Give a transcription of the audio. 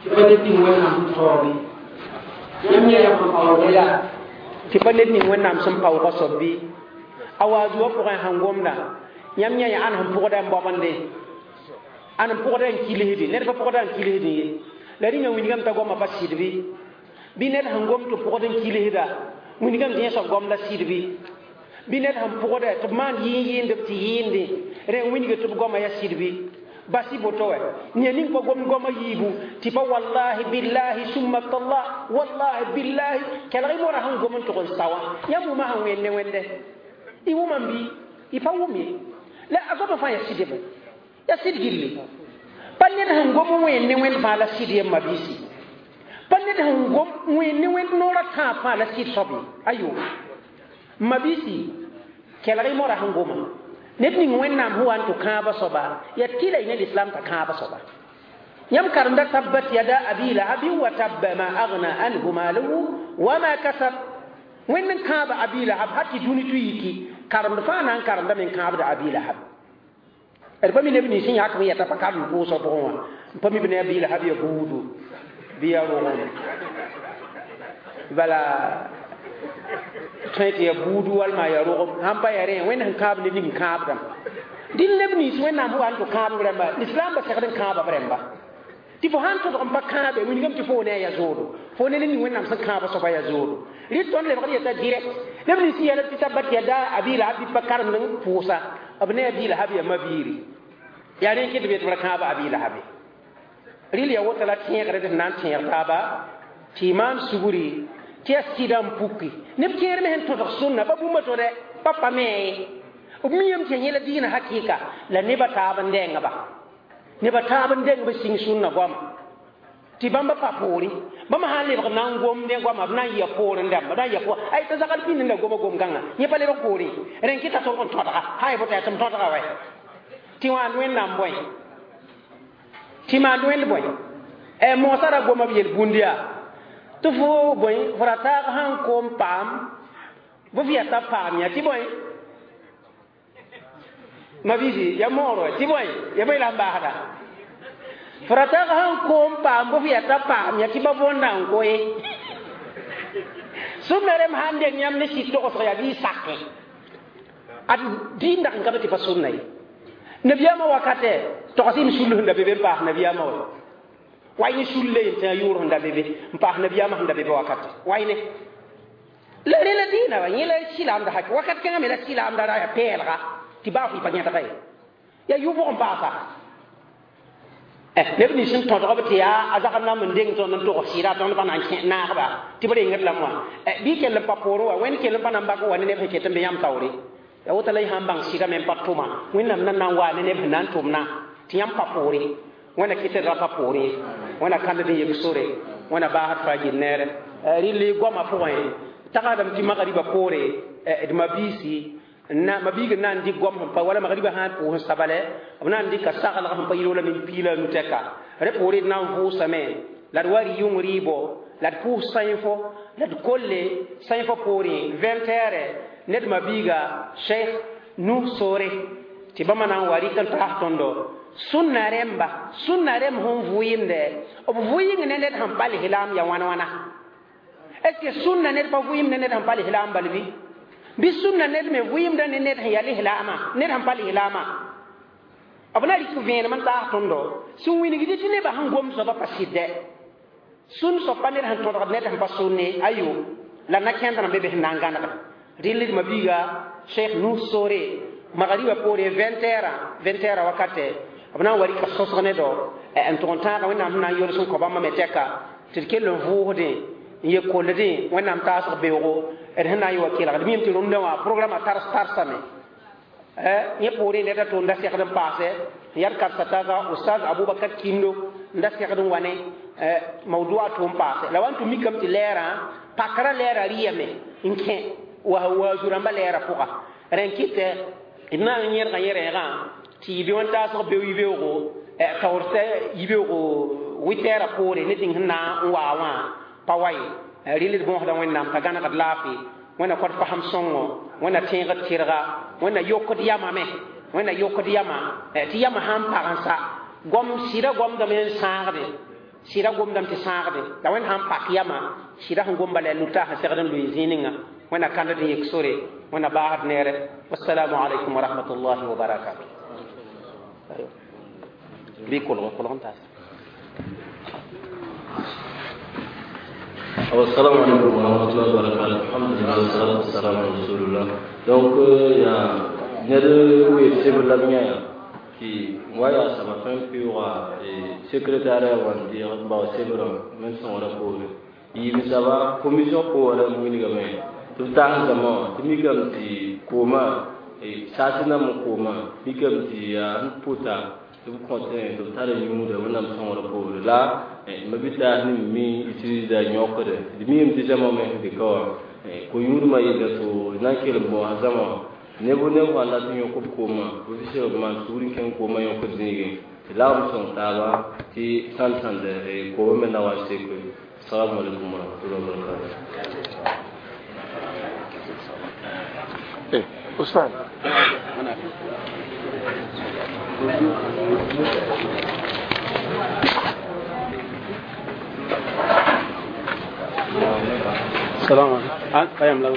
Tɩ pa ned ning Wẽnnaam sẽn taoog yãmb yã yam sẽn paoog la tɩ pa ned ning Wẽnnaam sẽn paoogã soab bɩ a waazu wã pʋgẽ sẽn gomda yãmb yã yaa ãn sẽn pʋgda n baobende ãn n pʋgda n kilsde ned pa pʋgda n kilsdẽ ye la rĩnga wilgame t'a goamã pa sɩd bɩ bɩ ned sẽn gom tɩ pʋgd n kilsda wilgame tɩ yẽ soab gom la sɩd bɩ bɩ ned sẽn pʋgda tɩ b maan yɩɩn yɩɩndb tɩ yɩɩndẽ rẽ n wilg tɩ b goamã yaa sɩd bɩ basi boto wɛ nia ning pa gom goma yiibu tɩ pa wallahi billahi summa tallah wallahi billahi kelg y mora sẽn gom n tʋg n sa wã yãmb wʋma sẽn wẽnd ne wẽnde y wʋmam bɩ y pa wʋm ye la a goamã fãa yaa sɩdb yaa sɩd gilli pa ned sẽn gom n wẽnd ne wẽnd fãa la sɩd yem mabiisi pa ned sẽn gom n wẽnd ne wẽnd noorã tãab fãa la sɩd soab ye ayo mabiisi kelg y mora sẽn goma ned ning Wẽnnaam sẽn wa n tɩ kãabã soaba yaa tɩ la y ne lislaam t'a kãabã soaba yãmb karemda tabbat yada abi lahabin wa tabba ma agna anhu maluhu wa ma kasab wẽnd n kãaba abi lahab ha tɩ dũni tɩ yiki karemd fãa na n karemdame n kãabda abi lahab d pa mi neb nins sẽn yãk n yɛta pa karem pʋʋsg pʋgẽ wã n pa mi b ne abi lahab ya buudu bɩ ya rogem bala tõe tɩ ya buudu walma ya rogem sãn pa ya rẽ wẽnd sẽn kãab ned ning kãabdame dĩn neb nins Wẽnnaam sẽn wa n tɩ kãab b rãmba lislaambã segd n kãaba b rãmba tɩ fo sãn tõdg n pa kãabe wilgame tɩ fo ne a yaa zoodo fo ne ned ning Wẽnnaam sẽn kãabã soaba yaa zoodo rɩ tõnd lebgd yeta direct neb nins sẽn yɛl tɩ tabbat yada abi lahab bɩ pa karemd n pʋʋsa b ne abi lahab ya mabiiri yaa rẽ n kɩt b yetɩ b ra kãaba abi lahabe rɩl ya woto la tẽegre d sẽn na n tẽeg taaba tɩ y maan sugri tɩ yaa sɩda n puki neb kẽer me sẽn tõdg sũnna pa bũmba to dɛ pa pa me b miame tɩ yẽla diinã hakɩɩka la nebã taab n dẽngba nebã taab n dẽng b sĩng sũnna goama tɩ bãmba pa poore bãmba sã n lebg na n gomdẽ goama b na n yɩa poorẽ dãmba b na n yɩa poor ay t'a zagl pĩnd la goma gom-kãngã yẽ pa lebg poorẽ rẽn kɩta tõrg n tõdga sã y boto yaa tɩ m tõdga wɛ tɩ wãand Wẽnnaam bõe tɩ maand wẽnd bõe moosã ra goma b yel-bũnd yaa tɩ fo bõe fo ra taag sãn koom paam bɩ f yata paam yã tɩ bõe mabiisi ya moor tɩ bõe ya bõe la n baasda fo ra taag sãn koom paam bɩ f yata paam yã tɩ ba võnda n koe sũnna rem sãn deng yãmb ne sɩd togsg yaa bɩ y sakẽ ad dĩim dag n ka be tɩ pa sũnna ye nabiyaamã wakatɛ togs m sul sẽn da be be n paas nabiyaamã wa way ne sulle n tẽ a yʋʋr sẽn da be be n paas nabiyaamã sẽn da be be wakate way ne la rẽ la dĩinã wa yẽ la sɩlaamda hak wakat kẽngã me la sɩlaamda ra yaa pɛɛlga tɩ baa fo y pa yẽdga ye yaa yʋbg n paasa neb nins sẽn tõdg b tɩ yaa a zagr nam n deng tõnd n tog sɩɩda tõnd pa na n kẽ naagba tɩ b rengd lame wã bɩ kell n pa poorẽ wa wẽnd kell n pa na n bak wa ne neb sẽn ket n be yãmb taoore ya woto la y sãn bãng sɩdame n pa tʋma Wẽnnaam na na n waa ne neb sẽn na n tʋmna tɩ yãmb pa poore Wẽnna kɩt d ra pa poore Wẽnna kãnd n yek sore Wẽnna baasd faa yel neere rɩl goamã pʋgẽ tagsdame tɩ magriba poore d mabiisi na mabiig n na n dɩk goam sẽn pa wala magriba sã n pʋʋs n sabale b na n dɩka saglg sẽn pa yɩl wala min piila nu tɛka rẽ poore d na n vʋʋsame la d wa rɩ yʋng rɩɩbo la d pʋʋs sãifo la d kolle sãifã poorẽ 20 heures ned mabiiga Cheikh Nu Sore tɩ bãmba na n wa rɩk n taas tõndo sũnna rẽmba sũnna rẽmb sẽn vʋɩɩmdɛ b vʋɩɩng ne ned sẽn pa lislaam ya wãn wãna est ce que sũnna ned pa vʋɩɩm ne ned sẽn pa lislaam bal bɩ bɩ sũnna ned me vʋɩɩmda ne ned sẽn ya lislaamã ned sẽn pa lislaamã b na rɩk vẽenem n taas tõndo sẽn wilgd tɩ nebã sẽn gom soaba pa sɩdɛ sũn soab pa ned sẽn tõdgd ned sẽn pa sũnne ayo la na kẽnd be be sẽn na n gãnega rɩl d mabiiga Cheikh Nu Sore magriba poore 20 heures 20 heures wakate b na n wa rɩka sõsg ne do n tʋg n tãaga Wẽnnaam sẽn na n yols n kõ bãmba me tɛka tɩ d kell n vʋʋsdẽ n ye kolldẽ Wẽnnaam taasg beoogo d sẽn na n yɩ wa kelgd mim tɩ rũndã wã programme tars tarsame yẽ poorẽ ned a to n da segd n paase n yad karsa taaga Ustaz Abubakar Kindo n da segd n wa ne mawdua tʋ n paase la wa n tɩ mikame tɩ lɛɛrã pakra lɛɛrã rɩyame n kẽ wa waazu rãmbã lɛɛrã pʋga rẽ n kɩtɛ d na n yẽdga yẽ rɛɛgã tɩ yɩ be wã taasg beo yibeoogo taoor yibeoogo wɩtɛɛrã poore ne tɩng sẽn na n waa wã pa wa ye rɩl d bõosda Wẽnnaam t'a gãnegd laafɩ Wẽnna kõt fasem sõngo Wẽnna tẽegd tɩrga Wẽnna yokd yamã me Wẽnna yokd yamã tɩ yamã sãn pag n sa goam sɩda goamdame n sãagde. Sɩda gomdame tɩ sãagde la wẽnd sãn pak yama sɩda sẽn gom bala yaa luta sẽn segd n lʋɩ zĩig ninga wẽnna kãnd n yek sore wẽnna baasd neere wassalamu alaikum wa rahmatullahi wa barakatuh bɩ kolg kolg n taas. Assalamu alaikum wa rahmatullahi wa barakatuh. Alhamdulillah, salatu wassalamu ala rasulillah. Donc, ya ned wee sebr la b yã tɩ wa yaa saba tõe n pɩʋʋga secrétariat wã n deeg n bao sebrã wẽnd sõngrã poore yiib saba commission poorã wilgame tɩ b taas zãma wã tɩ mikame tɩ koomã saas nam n koomã mikame tɩ yaa n pʋta tɩ b kõtẽ tɩ b tar yũuda wẽnnaam sõngrã poore la mabitaas nim mi utilisda yõkde d miime tɩ zãma me sẽn dɩka wã ko-yũudmã yella tɩ na n kell n bõosa zãma wã neb neb sã n dat n yõk b koomã b bisg b maan sugr n kẽng koomã yõkd zĩigẽ tɩ lagm sõng taaba tɩ sãnd sãnd koomã me na wa n seke. Assalamu alaikum warahmatullahi wabarakatuh. Eh, Ousmane. السلام عليكم. قيم لو